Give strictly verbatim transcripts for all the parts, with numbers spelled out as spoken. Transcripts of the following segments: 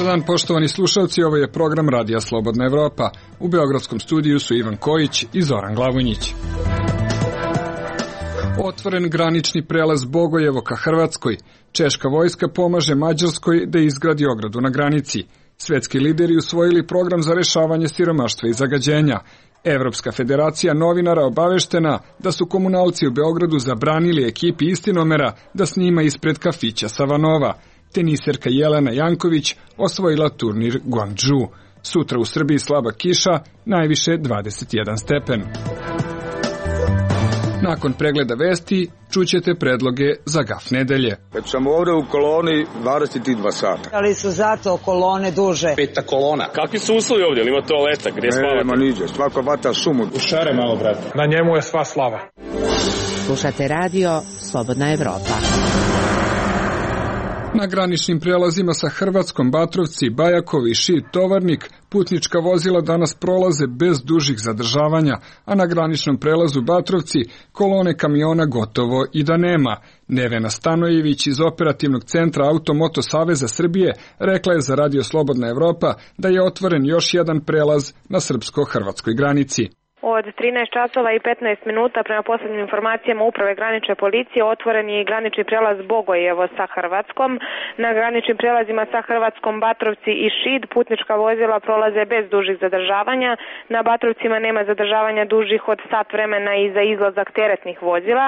dan, poštovani slušalci, ovo je program Radija Slobodna Evropa. U beogradskom studiju su Ivan Kojić i Zoran Glavonjić. Otvoren granični prelaz Bogojevo ka Hrvatskoj. Češka vojska pomaže Mađarskoj da izgradi ogradu na granici. Svetski lideri usvojili program za rešavanje siromaštva i zagađenja. Evropska federacija novinara obaveštena da su komunalci u Beogradu zabranili ekipi Istinomera da snima ispred kafića Savanova. Teniserka Jelena Janković osvojila turnir Guangzhou. Sutra u Srbiji slaba kiša, najviše dvadeset jedan stepen. Nakon pregleda vesti, čućete predloge za gaf nedelje. Već sam ovde u koloni dvadeset dva sata. Ali su zato kolone duže. Peta kolona. Kakvi su uslovi ovdje? Ili ima toaleta? Gdje spavate? Nema niđe, svako vata sumu. U šare malo, brate. Na njemu je sva slava. Slušate radio Slobodna Evropa. Na graničnim prelazima sa Hrvatskom Batrovci, Bajakov i Šid Tovarnik putnička vozila danas prolaze bez dužih zadržavanja, a na graničnom prelazu Batrovci kolone kamiona gotovo i da nema. Nevena Stanojević iz Operativnog centra Automoto Saveza Srbije rekla je za Radio Slobodna Evropa da je otvoren još jedan prelaz na srpsko-hrvatskoj granici. Od trinaest časova i petnaest minuta prema poslednjim informacijama Uprave granične policije otvoren je i granični prelaz Bogojevo sa Hrvatskom. Na graničnim prelazima sa Hrvatskom Batrovci i Šid putnička vozila prolaze bez dužih zadržavanja. Na Batrovcima nema zadržavanja dužih od sat vremena i za izlazak teretnih vozila.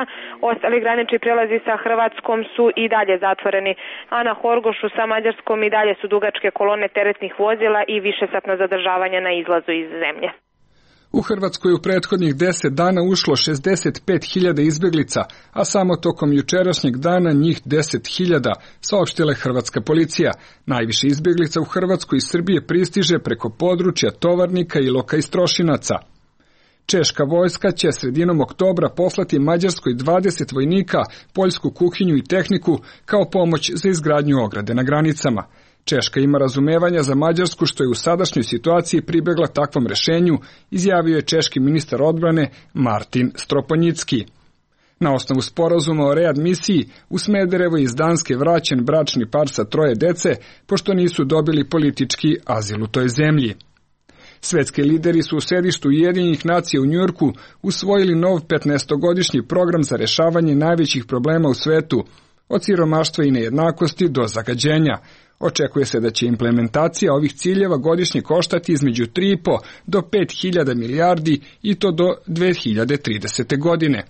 Ostali granični prelazi sa Hrvatskom su i dalje zatvoreni, a na Horgošu sa Mađarskom i dalje su dugačke kolone teretnih vozila i višesatna zadržavanja na izlazu iz zemlje. U Hrvatskoj u prethodnih deset dana ušlo šezdeset pet hiljada izbeglica, a samo tokom jučerašnjeg dana njih deset hiljada, saopštila je hrvatska policija. Najviše izbeglica u Hrvatskoj iz Srbije pristiže preko područja Tovarnika i Iloka i Strošinaca. Češka vojska će sredinom oktobra poslati Mađarskoj dvadeset vojnika, poljsku kuhinju i tehniku kao pomoć za izgradnju ograde na granicama. Češka ima razumevanja za Mađarsku što je u sadašnjoj situaciji pribegla takvom rešenju, izjavio je češki ministar odbrane Martin Stroponjicki. Na osnovu sporazuma o readmisiji u Smederevo iz Danske vraćen bračni par sa troje dece, pošto nisu dobili politički azil u toj zemlji. Svetski lideri su u sedištu Ujedinjenih nacija u Njujorku usvojili nov petnaestogodišnji program za rešavanje najvećih problema u svetu, od siromaštva i nejednakosti do zagađenja. Očekuje se da će implementacija ovih ciljeva godišnje koštati između tri i po do pet hiljada milijardi i to do dve hiljade tridesete. godine.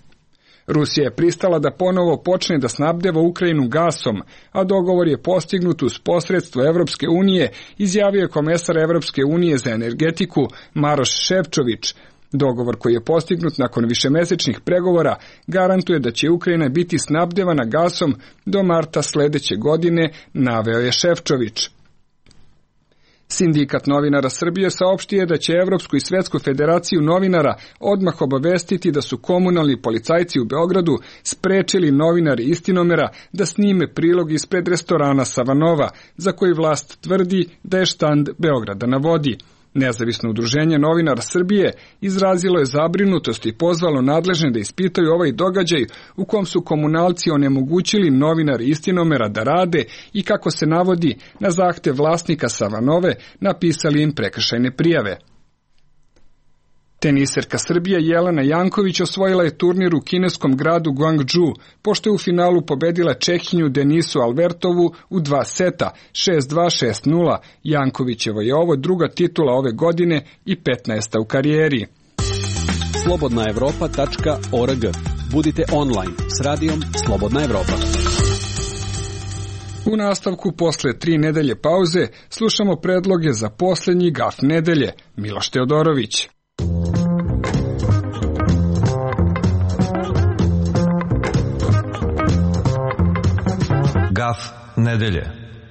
Rusija je pristala da ponovo počne da snabdeva Ukrajinu gasom, a dogovor je postignut uz posredstvo Evropske unije, izjavio je komesar Evropske unije za energetiku Maroš Šefčović. Dogovor koji je postignut nakon višemesečnih pregovora garantuje da će Ukrajina biti snabdevana gasom do marta sledeće godine, naveo je Šefčović. Sindikat novinara Srbije saopštio da će Evropsku i Svetsku federaciju novinara odmah obavestiti da su komunalni policajci u Beogradu sprečili novinari Istinomera da snime prilog ispred restorana Savanova, za koji vlast tvrdi da je štand Beograda na vodi. Nezavisno udruženje novinara Srbije izrazilo je zabrinutost i pozvalo nadležne da ispitaju ovaj događaj u kom su komunalci onemogućili novinari Istinomera da rade i, kako se navodi, na zahtev vlasnika Savanove napisali im prekršajne prijave. Teniserka Srbije Jelena Janković osvojila je turnir u kineskom gradu Guangzhou, pošto je u finalu pobedila Čehinju Denisu Albertovu u dva seta, šest dva šest nula. Jankovićevo je ovo druga titula ove godine i petnaesta u karijeri. slobodna evropa tačka org. Budite online s radijom Slobodna Evropa. U nastavku posle tri nedelje pauze slušamo predloge za poslednji gaf nedelje. Miloš Teodorović. Gaf nedelje.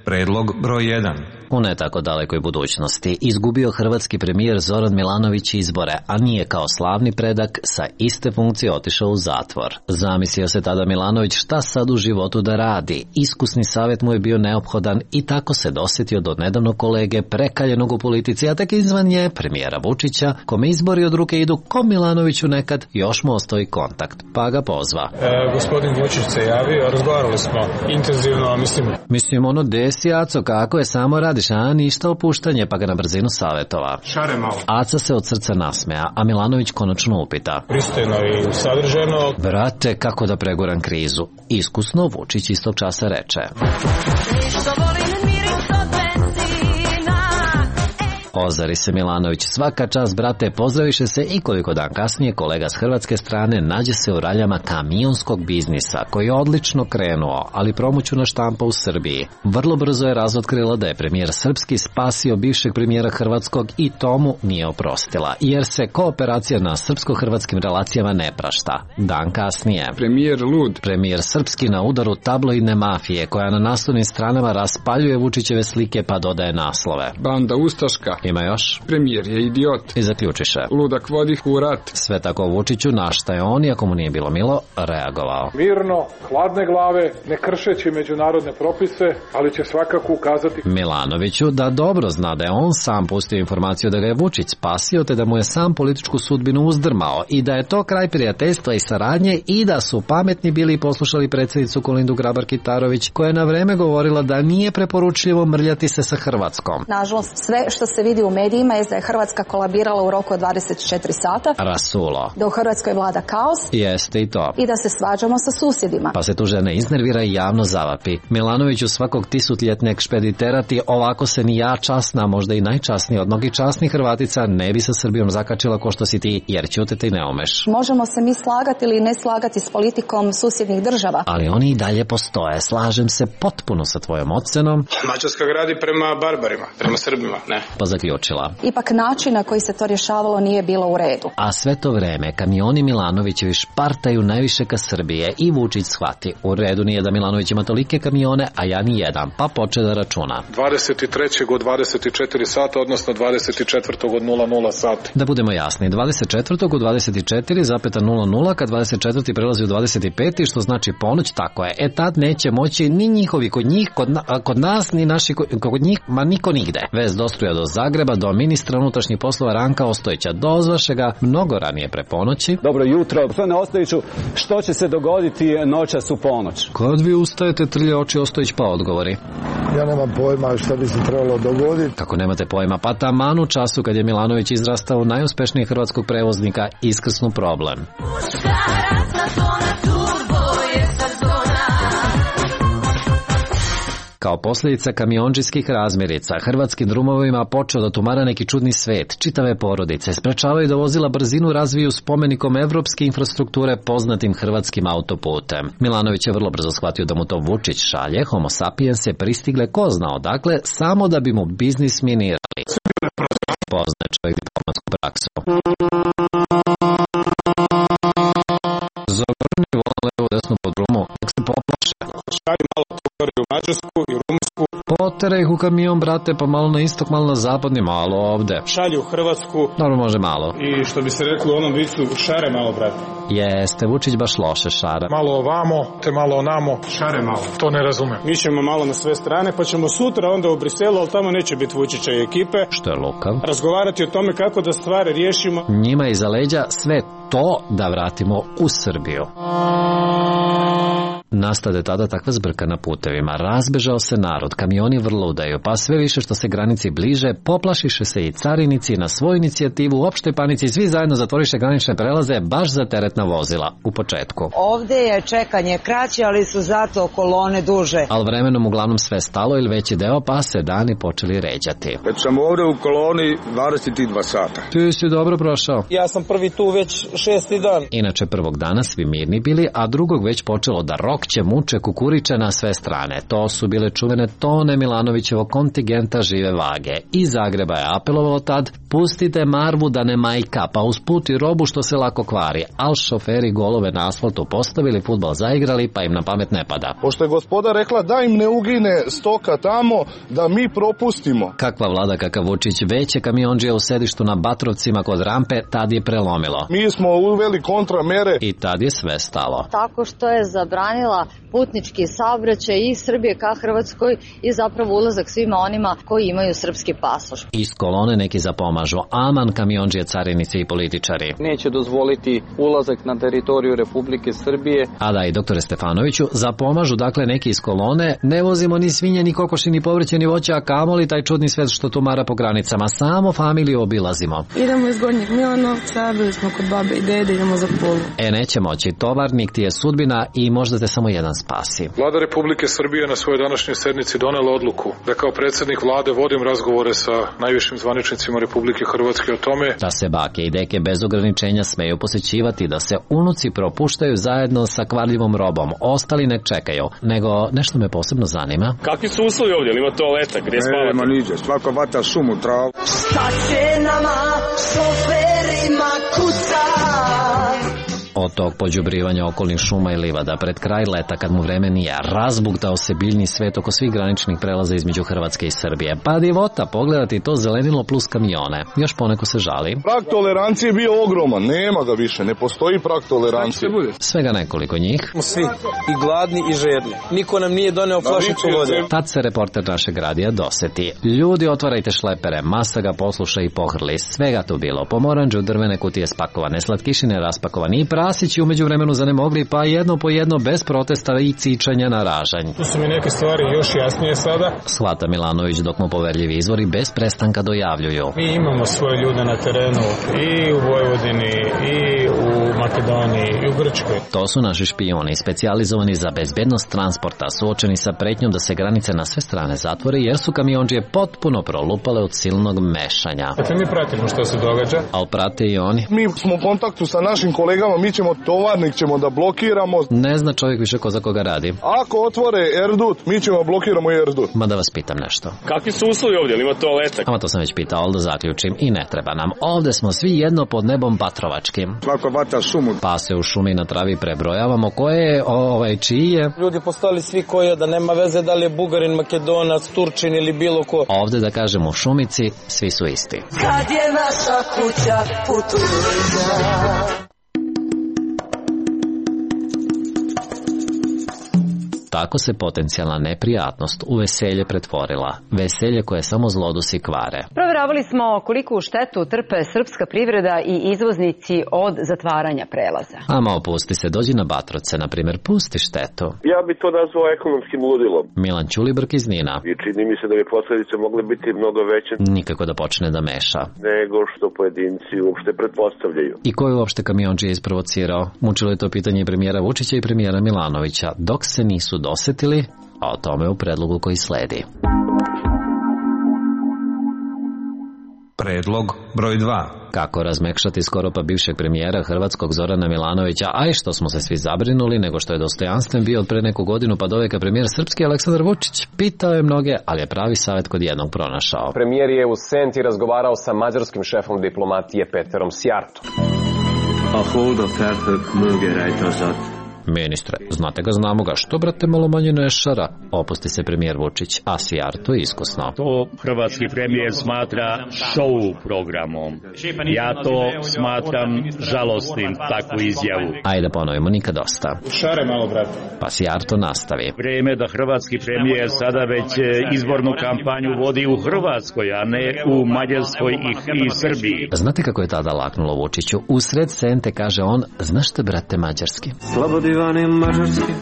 Predlog broj jedan. U ne tako dalekoj budućnosti izgubio hrvatski premijer Zoran Milanović izbore, a nije kao slavni predak sa iste funkcije otišao u zatvor. Zamislio se tada Milanović šta sad u životu da radi. Iskusni savjet mu je bio neophodan i tako se dosjetio do nedavnog kolege prekaljenog u politici, a tek izvan nje premijera Vučića, kome izbori od ruke idu ko Milanoviću nekad, još mu ostoji kontakt, pa ga pozva. E, gospodin Vučić se javio, razgovarali smo intenzivno, mislim... Mislim ono desi, Aco, kako je, samo radi misliš, a ništa opuštanje, pa ga na brzinu savjetova. Šare malo. Aca se od srca nasmeja, a Milanović konačno upita. Pristojno i sadrženo. Brate, kako da preguram krizu? Iskusno Vučić istog časa reče. Ozari se Milanović, svaka čast brate, pozdraviše se i koliko dan kasnije kolega s hrvatske strane nađe se u raljama kamionskog biznisa koji je odlično krenuo, ali promoćuna štampa u Srbiji vrlo brzo je razotkrila da je premijer srpski spasio bivšeg premijera hrvatskog i tomu nije oprostila, jer se kooperacija na srpsko-hrvatskim relacijama ne prašta. Dan kasnije. Premijer lud. Premijer srpski na udaru tabloidne mafije koja na naslovnim stranama raspaljuje Vučićeve slike pa dodaje naslove. Banda ustaška. Ima još? Premijer je idiot. I zaključiše. Ludak vodi u rat. Sve tako Vučiću, na šta je on, iako mu nije bilo milo, reagovao. Mirno, hladne glave, ne kršeći međunarodne propise, ali će svakako ukazati Milanoviću da dobro zna da je on sam pustio informaciju da ga je Vučić spasio, te da mu je sam političku sudbinu uzdrmao i da je to kraj prijateljstva i saradnje i da su pametni bili i poslušali predsjednicu Kolindu Grabar-Kitarović, koja je na vreme govorila da nije preporučljivo mrljati se sa Hrvatskom. Nažalost, sve što se vidi u medijima je da je Hrvatska kolabirala u roku od dvadeset četiri sata. Rasulo. Da u Hrvatskoj vlada kaos. Jeste i to. I da se svađamo sa susjedima. Pa se tu žena iznervira i javno zavapi. Milanoviću svakog tisutljetneg špediterati, ovako se ni ja časna, možda i najčasnija od mnogih časnih Hrvatica ne bi sa Srbijom zakačila ko što si ti, jer ćutiti ne umeš. Možemo se mi slagati ili ne slagati s politikom susjednih država. Ali oni i dalje postoje. Slažem se potpuno sa tvojom ocenom. Mađarska gradi prema barbarima, prema Srbima, ne? Pa zaključila. Ipak način na koji se to rješavalo nije bilo u redu. A sve to vreme kamioni Milanovićevi špartaju najviše ka Srbije i Vučić shvati. U redu nije da Milanović ima tolike kamione, a ja ni jedan, pa poče da računa. dvadeset trećeg od dvadeset četiri sata, odnosno dvadeset četvrtog od nula nula sati. Da budemo jasni, dvadeset četvrtog u dvadeset četiri zarez nula nula, kad dvadeset četvrti prelazi u dvadeset pet, što znači ponoć, tako je. E tad neće moći ni njihovi kod njih, kod, na, kod nas, ni naši kod, kod njih, ma niko nigde. Vez dostruja do Zagreba, do ministra unutrašnjih poslova Ranka Ostojića. Dozvaše ga mnogo ranije pre ponoći. Dobro jutro, gospodine Ostojiću, što će se dogoditi noćas u ponoć? Kad vi ustajete, trlje oči Ostojić pa odgovori. Ja nemam pojma šta bi se trebalo dogoditi. Kako nemate pojma? Pa taman u času kad je Milanović izrastao u najuspješnijeg hrvatskog prevoznika, iskrsnu problem. Kao posljedica kamiondžijskih razmirica, hrvatskim drumovima počeo da tumara neki čudni svet. Čitave porodice sprečavaju da vozila brzinu razviju spomenikom evropske infrastrukture poznatim hrvatskim autoputem. Milanović je vrlo brzo shvatio da mu to Vučić šalje, homo sapiens je pristigle ko zna odakle, samo da bi mu biznis minirali. Poznaje čovjek diplomatsku praksu. Zogrni volan levo desno pod rumu, nek se poplaše. Šalju malo to u Mađarsku i Rumunsku. Potere ih u kamion, brate, pa malo na istok, malo na zapadni, malo ovde. Šalju u Hrvatsku. Dobro, može malo. I što bi se reklo u onom vicu, šare malo, brate. Jeste, Vučić baš loše šara. Malo ovamo, te malo onamo, šare malo. To ne razumem. Mi ćemo malo na sve strane, pa ćemo sutra onda u Briselu, ali tamo neće biti Vučića i ekipe. Što je lukav. Razgovarati o tome kako da stvari riješimo. Njima iza leđa sve to da vratimo u Srbiju. Nastade tada takva zbrka na putevima, razbežao se narod, kamioni vrludaju, pa sve više što se granici bliže, poplašiše se i carinici na svoju inicijativu, u opštoj panici svi zajedno zatvoriše granične prelaze baš za teretna vozila u početku. Ovde je čekanje kraće, ali su zato kolone duže. Ali vremenom uglavnom sve stalo ili veći deo, pa se dani počeli ređati. Već sam ovde u koloni dvadeset dva sata. Ti si dobro prošao. Ja sam prvi tu već šesti dan. Inače prvog dana svi mirni bili, a drugog već počelo da rokće, muče, kukuriče na sve strane. To su bile čuvene tone Milanovićevog kontingenta žive vage. Iz Zagreba je apelovalo tad, pustite Marvu da ne majka, pa usput i robu što se lako kvari. Al šoferi golove na asfaltu postavili, fudbal zaigrali, pa im na pamet ne pada. Pošto je gospoda rekla da im ne ugine stoka tamo, da mi propustimo. Kakva vlada, kakav Vučić, veće kamionđije u sedištu na Batrovcima kod rampe, tad je prelomilo. Mi smo uveli kontramere. I tad je sve stalo. Tako što je zabranila olakšala putnički saobraćaj iz Srbije ka Hrvatskoj i zapravo ulazak svima onima koji imaju srpski pasoš. Iz kolone neki zapomažu, aman kamiondžije, carinici i političari. Neće dozvoliti ulazak na teritoriju Republike Srbije. A da, i doktore Stefanoviću, zapomažu dakle neki iz kolone, ne vozimo ni svinje, ni kokoši, ni povrće, ni voća, a kamoli taj čudni svet što tumara po granicama, samo familiju obilazimo. Idemo iz Gornjeg Milanovca, bili smo kod babe i dede, idemo za Pulu. E, neće moći, tovarnik ti je sudbina i možda te samo jedan spasi. Vlada Republike Srbije na svojoj današnjoj sednici donela odluku da kao predsjednik vlade vodim razgovore sa najvišim zvaničnicima Republike Hrvatske o tome da se bake i deke bez ograničenja smeju posećivati, da se unuci propuštaju zajedno sa kvarljivom robom, ostali ne čekaju, nego nešto me posebno zanima. Kakvi su uslovi ovdje? Ima toaleta, gdje spavate? Nema niđe, svako vata šumu, travu. Šta će nama, šoferima kuca? Od tog pođubrivanja okolnih šuma i livada pred kraj leta, kad mu vreme nije, razbuktao se biljni svet oko svih graničnih prelaza između Hrvatske i Srbije. Pa divota, pogledati to zelenilo plus kamione. Još poneko se žali. Prag tolerancije je bio ogroman, nema ga više, ne postoji prag tolerancije. Svega nekoliko njih. Svi i gladni i žedni. Niko nam nije doneo flašicu vode. Tad se reporter našeg radija doseti. Ljudi, otvarajte šlepere, masa ga posluša i pohrli. Svega tu bilo. Pomoranđu, drvene kutije spakovane, slatkišine raspakovane i prasići umeđu vremenu zanemogli, pa jedno po jedno bez protesta i cičanja na ražanj. Tu su mi neke stvari još jasnije sada. Shvata Milanović dok mu poverljivi izvori bez prestanka dojavljuju. Mi imamo svoje ljude na terenu i u Vojvodini, i u Makedoniji, i u Grčkoj. To su naši špijuni, specijalizovani za bezbednost transporta, suočeni sa pretnjom da se granice na sve strane zatvore, jer su kamiondžije potpuno prolupale od silnog mešanja. Dakle, mi pratimo što se događa. Ali prate i oni. Mi smo u kontaktu sa našim kolegama, mi ćemo tovarnik ćemo da blokiramo. Ne zna čovjek više ko za koga radi. Ako otvore Erdut, mi ćemo blokiramo Erdut. Ma da vas pitam nešto. Kakvi su uslovi ovdje? Ima toaleta? Ama to sam već pitao, ali da zaključim i ne treba nam. Ovde smo svi jedno pod nebom Batrovačkim. Svako vata šumu. Pa se u šumi na travi prebrojavamo koje je, ovaj, čiji je. Ljudi postali svi koji je, da nema veze da li je Bugarin, Makedonac, Turčin ili bilo ko. Ovde da kažem u šumici, svi su isti. Kad je naša kuća putuća. Tako se potencijalna neprijatnost u veselje pretvorila. Veselje koje samo zlodusi kvare. Proveravali smo koliku štetu trpe srpska privreda i izvoznici od zatvaranja prelaza. Ama opusti se, dođi na Batrovce, na primjer, pusti štetu. Ja bi to nazvao ekonomskim ludilom. Milan Ćulibrk iz Nina. I čini mi se da bi posljedice mogle biti mnogo veće. Nikako da počne da meša. Nego što pojedinci uopšte pretpostavljaju. I ko je uopšte kamiondžije isprovocirao? Mučilo je to pitanje i premijera Vučića i premijera Milanovića, dok se nisu dosetili, a o tome u predlogu koji sledi. Predlog broj dva. Kako razmekšati skoro pa bivšeg premijera hrvatskog Zorana Milanovića, a i što smo se svi zabrinuli, nego što je dostojanstven bio od pre neku godinu pa doveka premijer srpski Aleksandar Vučić. Pitao je mnoge, ali je pravi savjet kod jednog pronašao. Premijer je u Senti razgovarao sa mađarskim šefom diplomatije Peterom Sjartom. A holda felfögg mögörejtazat. Ministre, znate ga, znamo ga, što brate malo manje ne šara? Opusti se premijer Vučić, a Sjarto iskusno. To hrvatski premijer smatra show programom. Ja to smatram žalostnim, takvu izjavu. Ajde ponovimo, nikad dosta. Šare malo, brate. Pa Sjarto nastavi. Vreme da hrvatski premijer sada već izbornu kampanju vodi u Hrvatskoj, a ne u Mađarskoj i, i Srbiji. Znate kako je tada laknulo Vučiću? Usred Sente kaže on, znaš te brate mađarski? Slobodi mađarski,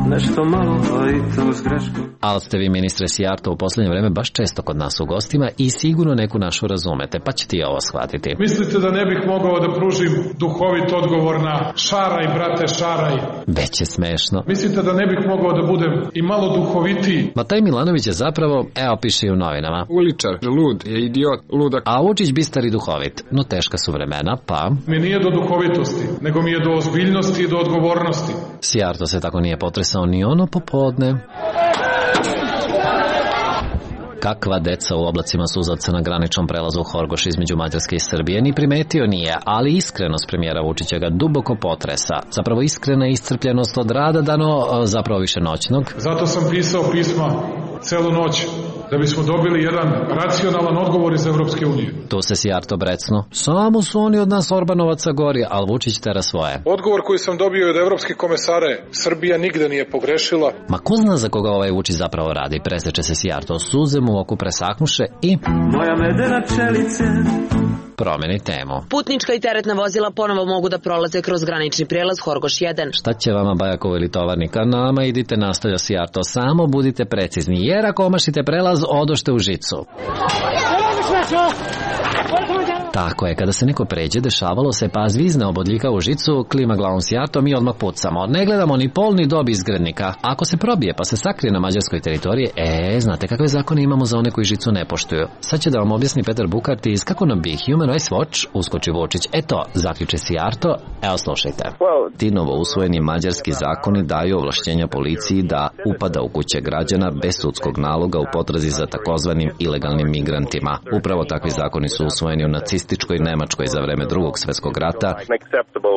nešto malo, a i to s greškom. Ali ste vi, ministre Sjarto, u posljednje vreme baš često kod nas u gostima i sigurno neku našu razumete, pa ćete i ovo shvatiti. Mislite da ne bih mogao da pružim duhovit odgovor na šaraj, brate, šaraj? Već je smešno. Mislite da ne bih mogao da budem i malo duhovitiji? Ma taj Milanović je zapravo, evo piše i u novinama, uličar, lud, je idiot, ludak. A Vučić bistar i duhovit, no teška su vremena, pa... Mi nije do duhovitosti, nego mi je do ozbiljnosti i do odgovornosti. Sjarto se tako nije potresao ni ono popodne. Kakva deca u oblacima suzavca na graničnom prelazu Horgoš između Mađarske i Srbije ni primetio nije, ali iskrenost premijera Vučića ga duboko potresa. Zapravo iskrena iscrpljenost od rada dano, zapravo više noćnog. Zato sam pisao pisma celu noć da bismo dobili jedan racionalan odgovor iz Evropske unije. Tu se Sijarto brecnu. Samo su oni od nas Orbanovaca gori, ali Vučić tera svoje. Odgovor koji sam dobio od evropskih komesare, Srbija nigde nije pogrešila. Ma ko zna za koga ovaj Vučić zapravo radi? Preseče se Sijarto, suze mu oku presaknuše i... Moja medena pčelice promeni temu. Putnička i teretna vozila ponovo mogu da prolaze kroz granični prijelaz Horgoš jedan. Šta će vama Bajakovo ili tovarnika? Nama idite, nastavlja Sijarto, samo budite precizni, jer ako omašite prelaz, odošte u žicu. Tako je, kada se neko pređe, dešavalo se pa zvizne obodljika u žicu, klima glavom Sijarto, mi odmah pucamo. Ne gledamo ni pol ni dob izgrednika. Ako se probije pa se sakrije na mađarskoj teritoriji, e, znate kakve zakone imamo za one koji žicu ne poštuju. Sad će da vam objasni Petar Bukartis kako nam bi Human Rights Watch uskoči Vučić. Eto, zaključe Sijarto, evo slušajte. Ti novo usvojeni mađarski zakoni daju ovlašćenja policiji da upada u kuće građana bez sudskog naloga u potrazi za takozvanim ilegalnim migrantima. Upravo takvi zakoni su usvojeni u nacističkoj Nemačkoj za vreme Drugog svjetskog rata.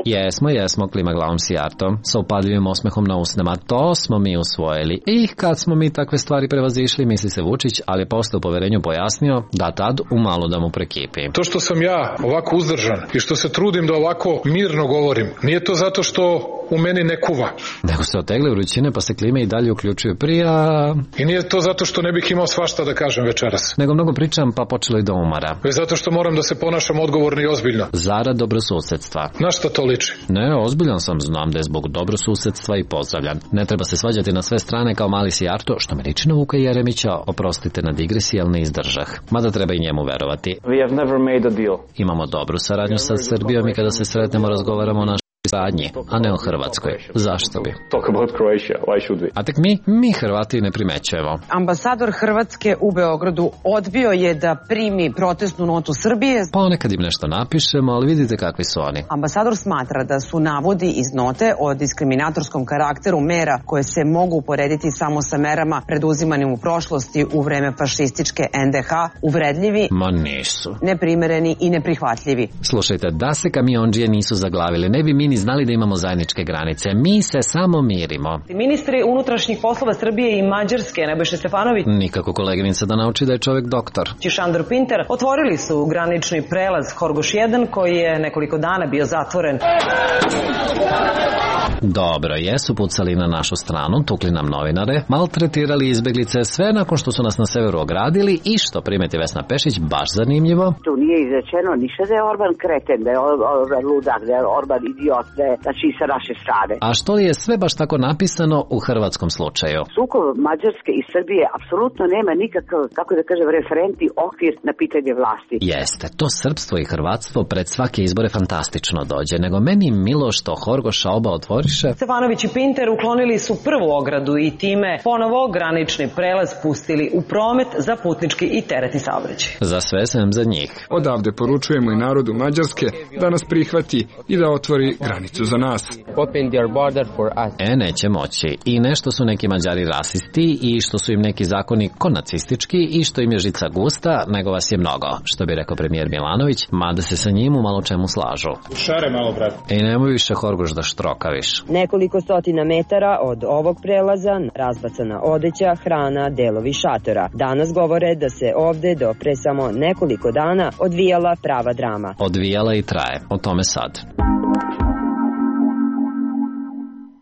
Jesmo, jesmo, klima glavom Sijarto, sa upadljivim osmehom na usnama. To smo mi usvojili. I kad smo mi takve stvari prevazišli, misli se Vučić, ali posle u poverenju pojasnio da tad umalo da mu prekipi. To što sam ja ovako uzdržan i što se trudim da ovako mirno govorim, nije to zato što u meni ne kuva. Nego se otegle vrućine pa se klime i dalje uključuju prija. I nije to zato što ne bih imao svašta da kažem večeras. Nego mnogo pričam pa počelo i da umara. Već zato što moram da se ponašam odgovorno i ozbiljno. Zarad dobrosusedstva. Na šta to liči? Ne, ozbiljan sam, znam da je zbog dobrosusedstva i pozdravljan. Ne treba se svađati na sve strane kao mali Sijarto, što me liči na Vuka Jeremića, oprostite na digresiji, ali ne izdržah. Mada treba i njemu verovati. We have never made a deal. Imamo dobru saradnju sa Srbijom i kada se sretnemo razgovaramo o našoj saradnji, a ne o Hrvatskoj. Zašto bi? Talk about Croatia. Why should we? A tek mi, mi Hrvati ne primećujemo. Ambasador Hrvatske u Beogradu odbio je da primi protestnu notu Srbije. Ponekad im nešto napišemo, ali vidite kakvi su oni. Ambasador smatra da su navodi iz note o diskriminatorskom karakteru mera koje se mogu uporediti samo sa merama preduzimanim u prošlosti u vreme fašističke en de ha uvredljivi, ma nisu, neprimereni i neprihvatljivi. Slušajte, da se kamiondžije nisu zaglavili, ne bi mi ni znali da imamo zajedničke granice. Mi se samo mirimo. Ministri unutrašnjih poslova Srbije i Mađarske, Nebojša Stefanović, nikako koleginica da nauči da je čovjek doktor, i Šandor Pinter otvorili su granični prelaz Horgoš jedan koji je nekoliko dana bio zatvoren. Dobro, jesu pucali na našu stranu, tukli nam novinare, maltretirali izbeglice, sve nakon što su nas na severu ogradili i što primeti Vesna Pešić, baš zanimljivo. Tu nije izrečeno ništa da je Orban kreten, da je Orban ludak, da je Orban idiot, da je, znači sa naše strane. A što li je sve baš tako napisano u hrvatskom slučaju? Sukob Mađarske i Srbije apsolutno nema nikakav, kako da kažem, referentni okvir na pitanje vlasti. Jeste, to srpstvo i hrvatstvo pred svake izbore fantastično dođe, nego meni milo što Horgoša oba otvoriše. Stefanović i Pinter uklonili su prvu ogradu i time ponovo granični prelaz pustili u promet za putnički i teretni saobraćaj. Za sve sem za njih. Odavde poručujemo i narodu Mađarske da nas prihvati i da otvori granicu za nas. Open their border for us. E, neće moći. I nešto su neki Mađari rasisti i što su im neki zakoni konacistički i što im je žica gusta, nego vas je mnogo, što bi rekao premijer Milanović, mada se sa njim u malo čemu slažu. Šare malo, brat. I nemoj više Horgoš da štrokaviš. Nekoliko stotina metara od ovog prelaza razbacana odeća, hrana, delovi šatora. Danas govore da se ovde do pre samo nekoliko dana odvijala prava drama. Odvijala i traje. O tome sad.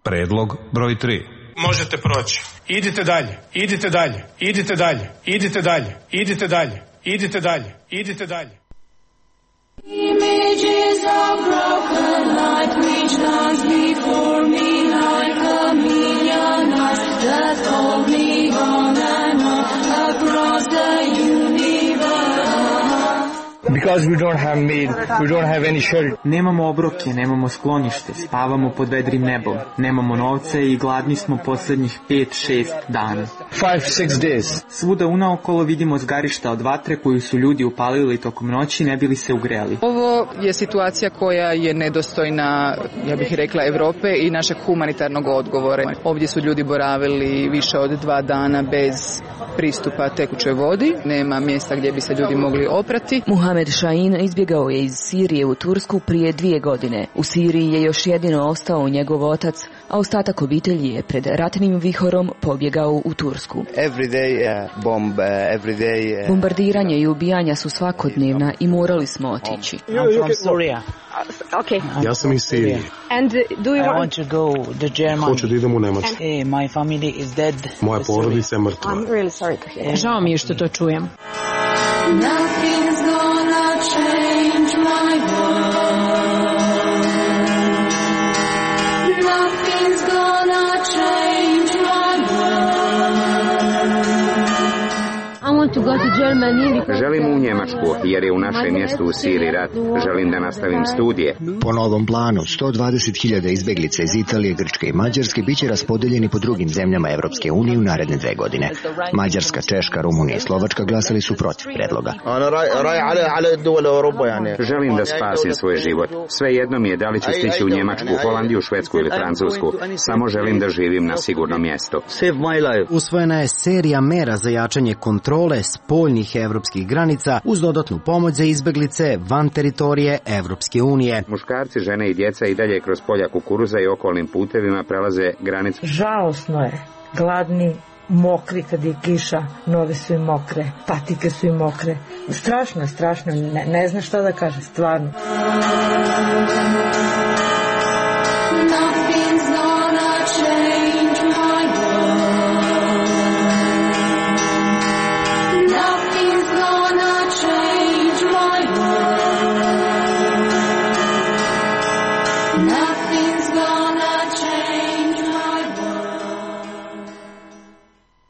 Predlog broj tri. Možete proći. Idite dalje, idite dalje, idite dalje, idite dalje, idite dalje, idite dalje, idite dalje. Images of broken light which dance before me like a million eyes that hold me on and on across the universe. Because we don't have meat, we don't have any shelter. Nemamo obroke, nemamo sklonište, spavamo pod vedrim nebom, nemamo novce i gladni smo poslednjih pet šest dana. Five, six days. Svuda unaokolo vidimo zgarišta od vatre koju su ljudi upalili tokom noći ne bili se ugreli. Ovo je situacija koja je nedostojna, ja bih rekla, Evrope i našeg humanitarnog odgovora. Ovdje su ljudi boravili više od dva dana bez pristupa tekućoj vodi, nema mjesta gdje bi se ljudi mogli oprati. Muharrem Mohamed Šahin izbjegao je iz Sirije u Tursku prije dvije godine. U Siriji je još jedino ostao njegov otac, a ostatak obitelji je pred ratnim vihorom pobjegao u Tursku. Day, uh, bomb, uh, day, uh... Bombardiranje i ubijanja su svakodnevna i morali smo otići. Okay. Ja sam iz Sirije. And do you I want... want to go to Germany. Hoću da idem u Nemačku. Hey, my family is dead. Moja porodica je mrtva. I'm really sorry to hear. Žao mi je što to čujem. Nothing's gonna change my world. Nothing's gonna change my world. I want to go to Germany because... Želim u Njemačku, jer je u našem mjestu u Siriji rat. Želim da nastavim studije. Po novom planu, sto dvadeset hiljada izbeglica iz Italije, Grčke i Mađarske biće raspodeljeni po drugim zemljama Evropske unije u naredne dve godine. Mađarska, Češka, Rumunija i Slovačka glasali su protiv predloga. Želim da spasim svoj život. Sve jedno mi je da li ću stići u Njemačku, Holandiju, Švedsku ili Francusku. Samo želim da živim na sigurnom mjestu. Usvojena je serija mera za jačanje kontrole spoljnih evropskih granica uz dodatnu pomoć za izbeglice van teritorije Evropske unije. Muškarci, žene i djeca i dalje kroz polja kukuruza i okolnim putevima prelaze granicu. Žalosno je, gladni, mokri kad je kiša, noge su im mokre, patike su im mokre. Strašno je, strašno, ne, ne zna šta da kaže, stvarno.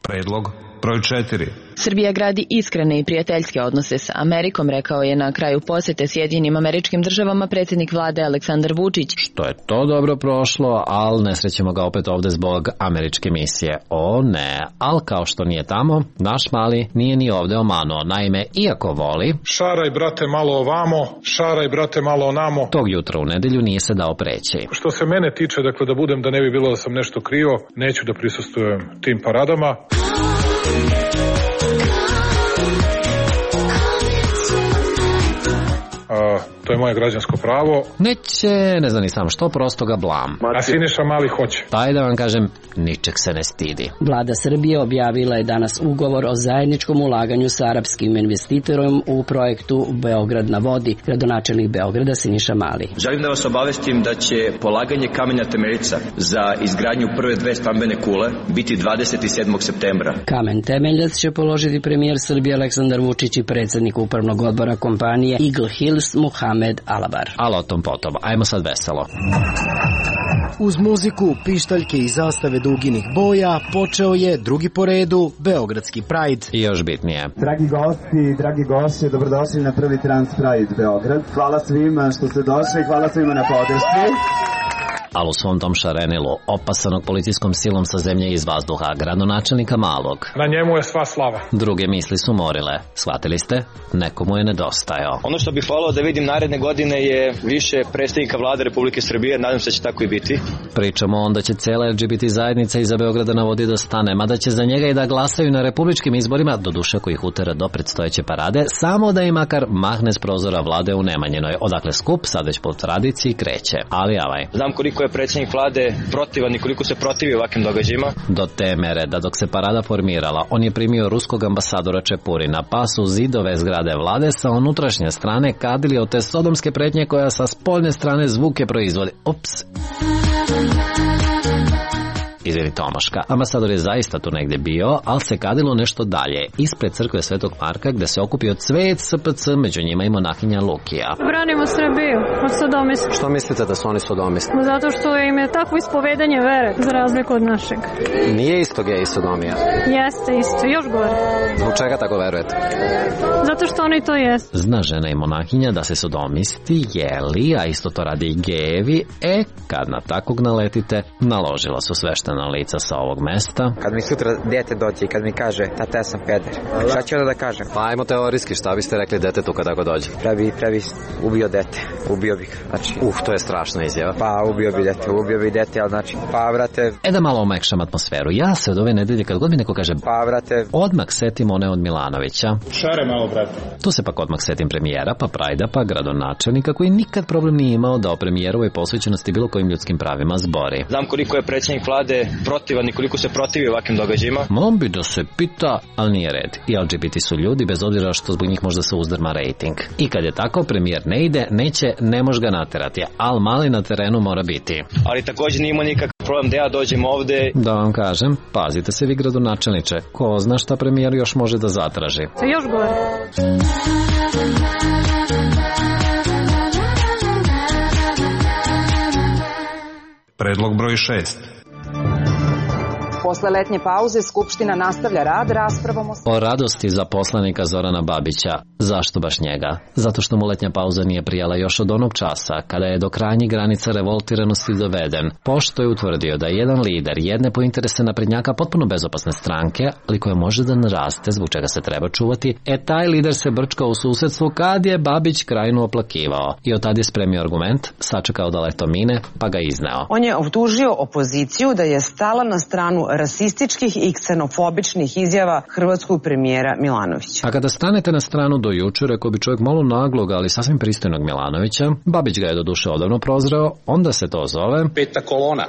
Predlog broj četiri. Srbija gradi iskrene i prijateljske odnose sa Amerikom, rekao je na kraju posjete Sjedinjenim Američkim Državama predsjednik vlade Aleksandar Vučić. Što je to dobro prošlo, ali ne srećemo ga opet ovde zbog američke misije. O ne, ali kao što nije tamo, naš mali nije ni ovde omanuo. Naime, iako voli... Šaraj, brate, malo ovamo, šaraj, brate, malo onamo. Tog jutra u nedelju nije se dao preći. Što se mene tiče, dakle, da budem, da ne bi bilo da sam nešto krivo, neću da prisustvujem tim paradama. Uh, to je moje građansko pravo. Neće, ne znam ni sam što, prosto ga blam. A Siniša Mali hoće. Pa da vam kažem, ničeg se ne stidi. Vlada Srbije objavila je danas ugovor o zajedničkom ulaganju sa arapskim investitorom u projektu Beograd na vodi, gradonačelnik Beograda Siniša Mali. Želim da vas obavestim da će polaganje kamenja temeljica za izgradnju prve dve stambene kule biti dvadeset sedmog septembra. Kamen temeljac će položiti premijer Srbije Aleksandar Vučić i predsjednik upravnog odbora kompanije Eagle Hills Muhamed Alabar. Ali o tom potom, ajmo sad veselo. Uz muziku, pištaljke i zastave duginih boja počeo je drugi po redu Beogradski Pride. I još bitnije. Dragi gosti, dragi gošće, dobrodošli na prvi Trans Pride Beograd. Hvala svima što ste došli, hvala svima na podršci. Ali u svom tom šarenilu, opasanog policijskom silom sa zemlje iz vazduha, gradonačelnika Malog. Na njemu je sva slava. Druge misli su morile. Shvatili ste? Nekomu je nedostajao. Ono što bih volao da vidim naredne godine je više predstavnika vlade Republike Srbije, nadam se da će tako i biti. Pričamo onda će cijela L G B T zajednica iza Beograda na vodi da stane, mada će za njega i da glasaju na republičkim izborima, do duše koji ih utera do predstojeće parade, samo da im makar mahne s prozora vlade u Nemanjinoj, odakle skup sad već po tradiciji kreće. Ali avaj. Znam koliko je predsjednik vlade protivan i koliko se protivi ovakvim događajima. Do te mere da dok se parada formirala, on je primio ruskog ambasadora Čepurina, pa su zidove zgrade vlade sa unutrašnje strane kadili od te sodomske pretnje koja sa spoljne strane zvuke proizvodi. Ups. Izvini Tomaška, ambasador je zaista tu negdje bio, ali se kadilo nešto dalje, ispred crkve Svetog Marka, gde se okupio cvet S P C, među njima i monahinja Lukija. Branimo Srbiju od sodomista. Što mislite da su oni sodomisti? Zato što im je takvo ispovedanje vere, za razliku od našeg. Nije isto gej i sodomija? Jeste isto, još gore. Zbog čega tako verujete? Zato što oni to jesu. Zna žena i monahinja da se sodomisti jeli, a isto to radi i gejevi, e, kad na takvog naletite, naložila su svešten pisana lica sa ovog mesta. Kad mi sutra dete dođe i kad mi kaže tata ja sam peder, šta ću onda da kažem? Pa ajmo teorijski, šta biste rekli detetu kada go dođe? Prebi, prebi ubio dete, ubio bih, znači. Uh, to je strašna izjava. Pa ubio bi dete, ubio bi dete, ali znači, pa vrate. E da malo omekšam atmosferu, ja se od ove nedelje kad god mi neko kaže pa vrate, odmah setim one od Milanovića. Šare malo, brate. Tu se pak odmah setim premijera, pa Prajda, pa gradonačelnika koji nikad problem nije imao da o premijerovoj posvećenosti bilo kojim ljudskim pravima zbori. Znam koliko je predsjednik vlade protivan i koliko se protivi ovakvim događajima. Mom bi da se pita, ali nije red. I L G B T su ljudi, bez obzira što zbog njih možda se uzdrma rating. I kad je tako, premijer ne ide, neće, ne može ga naterati, ali mali na terenu mora biti. Ali također nije imao nikakav problem da ja dođem ovde. Da vam kažem, pazite se vi gradonačelniče, ko zna šta premijer još može da zatraži. Se još gore. Predlog broj šest. Posle letnje pauze Skupština nastavlja rad raspravom o... O radosti za poslanika Zorana Babića. Zašto baš njega? Zato što mu letnja pauza nije prijala još od onog časa kada je do krajnjih granica revoltiranosti doveden, pošto je utvrdio da je jedan lider jedne po interese naprednjaka potpuno bezopasne stranke, ali koja može da naraste, zbog čega se treba čuvati, e taj lider se brčkao u susedstvu kad je Babić krajinu oplakivao. I od tad je spremio argument, sačekao da leto mine, pa ga izneo. On je optužio opoziciju da je stala na stranu rasističkih i ksenofobičnih izjava hrvatskog premijera Milanovića. A kada stanete na stranu do juče, rekao bi čovjek malo naglog, ali sasvim pristojnog Milanovića, Babić ga je do duše odavno prozreo, onda se to zove peta kolona.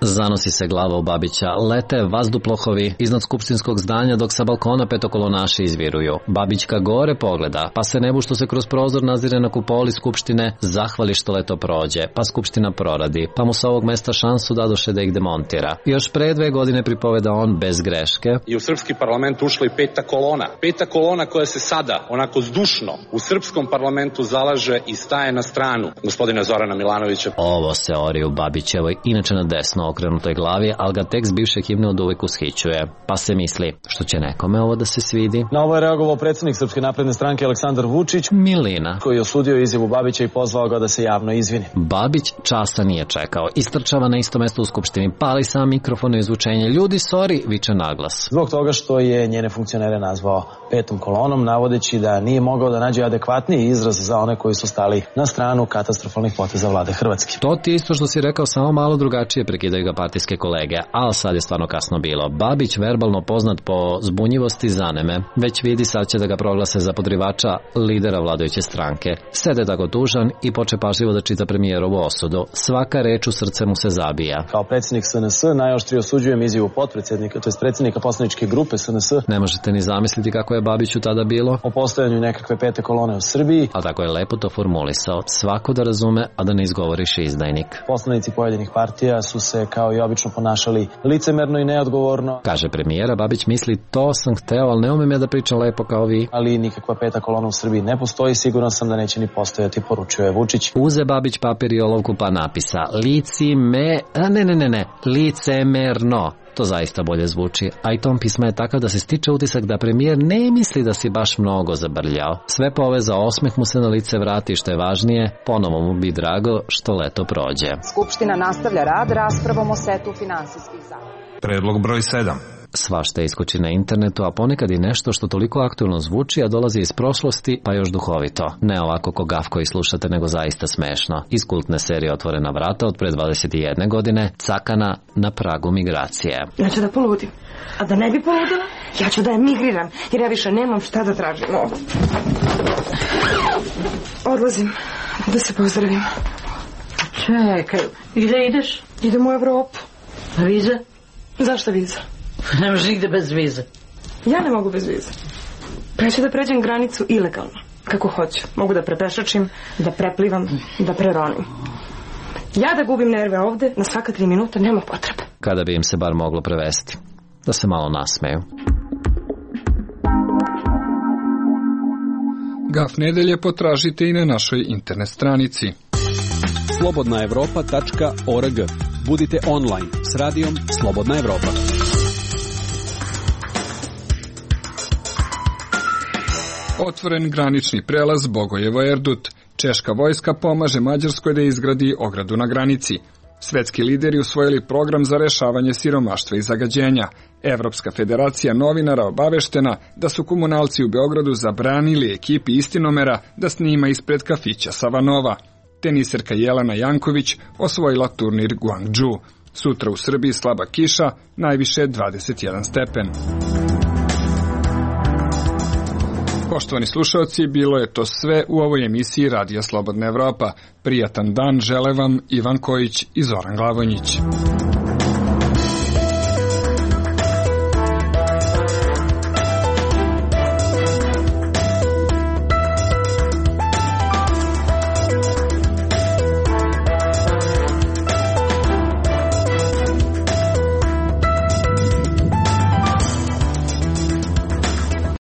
Zanosi se glava u Babića, lete vazduplohovi iznad skupštinskog zdanja dok sa balkona petokolonaši izviruju. Babićka gore pogleda, pa se nebu što se kroz prozor nazire na kupoli skupštine, zahvali što leto prođe, pa skupština proradi, pa mu sa ovog mesta šansu dadoše da ih demontira. Još pre dve godine pripoveda on bez greške. I u srpski parlament ušla i peta kolona. Peta kolona koja se sada, onako zdušno, u srpskom parlamentu zalaže i staje na stranu gospodina Zorana Milanovića. Ovo se ori u Babićevoj, inače na desno okrenutoj glavi, ali ga tekst bivše himne od uvijek ushićuje. Pa se misli, što će nekome ovo da se svidi? Na ovo je reagovao predsjednik Srpske napredne stranke Aleksandar Vučić, Milina, koji je osudio izjavu Babića i pozvao ga da se javno izvini. Babić časa nije čekao. Istrčava na isto mesto u skupštini, pali sam mikrofon i izvučenje. Ljudi, sorry, viče naglas. Zbog toga što je njene funkcionere nazvao petom kolonom, navodeći da nije mogao da nađe adekvatniji izraz za one koji su stali na stranu katastrofalnih poteza vlade Hrvatske. To ti isto što si rekao, samo malo drugačije, prekidaju ga partijske kolege, ali sad je stvarno kasno bilo. Babić, verbalno poznat po zbunjivosti, zaneme. Već vidi, sad će da ga proglase za podrivača lidera vladajuće stranke. Sede tako tužan i poče pažljivo da čita premijerovu osudu. Svaka reč u srce mu se zabija. Kao predsjednik S N S najoštrije osuđujem izjavu potpredsjednika, to je predsjednika poslaničke grupe S N S. Ne možete ni zamisliti kako je Babiću tada bilo. O postojanju nekakve pete kolone u Srbiji. A tako je lepo to formulisao. Svako da razume, a da ne izgovoriš izdajnik. Poslanici pojedinih partija su se kao i obično ponašali licemerno i neodgovorno. Kaže premijera, Babić misli, to sam hteo, ali ne umem ja da pričam lepo kao vi. Ali nikakva peta kolona u Srbiji ne postoji, siguran sam da neće ni postojati, poručio je Vučić. Uze Babić papir i olovku pa napisa, lici me, a ne ne ne ne, licemerno. To zaista bolje zvuči, a i ton pisma je takav da se stiče utisak da premijer ne misli da si baš mnogo zabrljao. Sve poveza, osmeh mu se na lice vrati, što je važnije, ponovo mu bi drago što leto prođe. Skupština nastavlja rad raspravom o setu finansijskih zakona. Predlog broj sedam. Svašta iskoči na internetu, a ponekad i nešto što toliko aktualno zvuči, a dolazi iz prošlosti, pa još duhovito. Ne ovako ko gaf koji slušate, nego zaista smešno. Iz kultne serije Otvorena vrata od pre dvadeset jedne godine, Cakana na pragu migracije. Ja ću da poludim. A da ne bi poludila, ja ću da je migriram, jer ja više nemam šta da tražim ovdje. Odlazim da se pozdravim. Čekaj, gdje ideš? Idem u Evropu. A viza? Zašto viza? Ne možeš nigde bez vize. Ja ne mogu bez vize. Pa ja ću da pređem granicu ilegalno, kako hoću. Mogu da prepešačim, da preplivam, da preronim. Ja da gubim nerve ovde, na svaka tri minuta, nema potrebe. Kada bi im se bar moglo prevesti. Da se malo nasmeju. Gaf nedelje potražite i na našoj internet stranici. slobodna evropa tačka org. Budite online s radijom Slobodna Evropa. Otvoren granični prelaz Bogojevo-Erdut. Češka vojska pomaže Mađarskoj da izgradi ogradu na granici. Svetski lideri usvojili program za rešavanje siromaštva i zagađenja. Evropska federacija novinara obaveštena da su komunalci u Beogradu zabranili ekipi Istinomera da snima ispred kafića Savanova. Teniserka Jelena Janković osvojila turnir Guangzhou. Sutra u Srbiji slaba kiša, najviše dvadeset jedan stepen. Poštovani slušalci, bilo je to sve u ovoj emisiji Radija Slobodna Evropa. Prijatan dan žele vam Ivan Kojić i Zoran Glavonjić.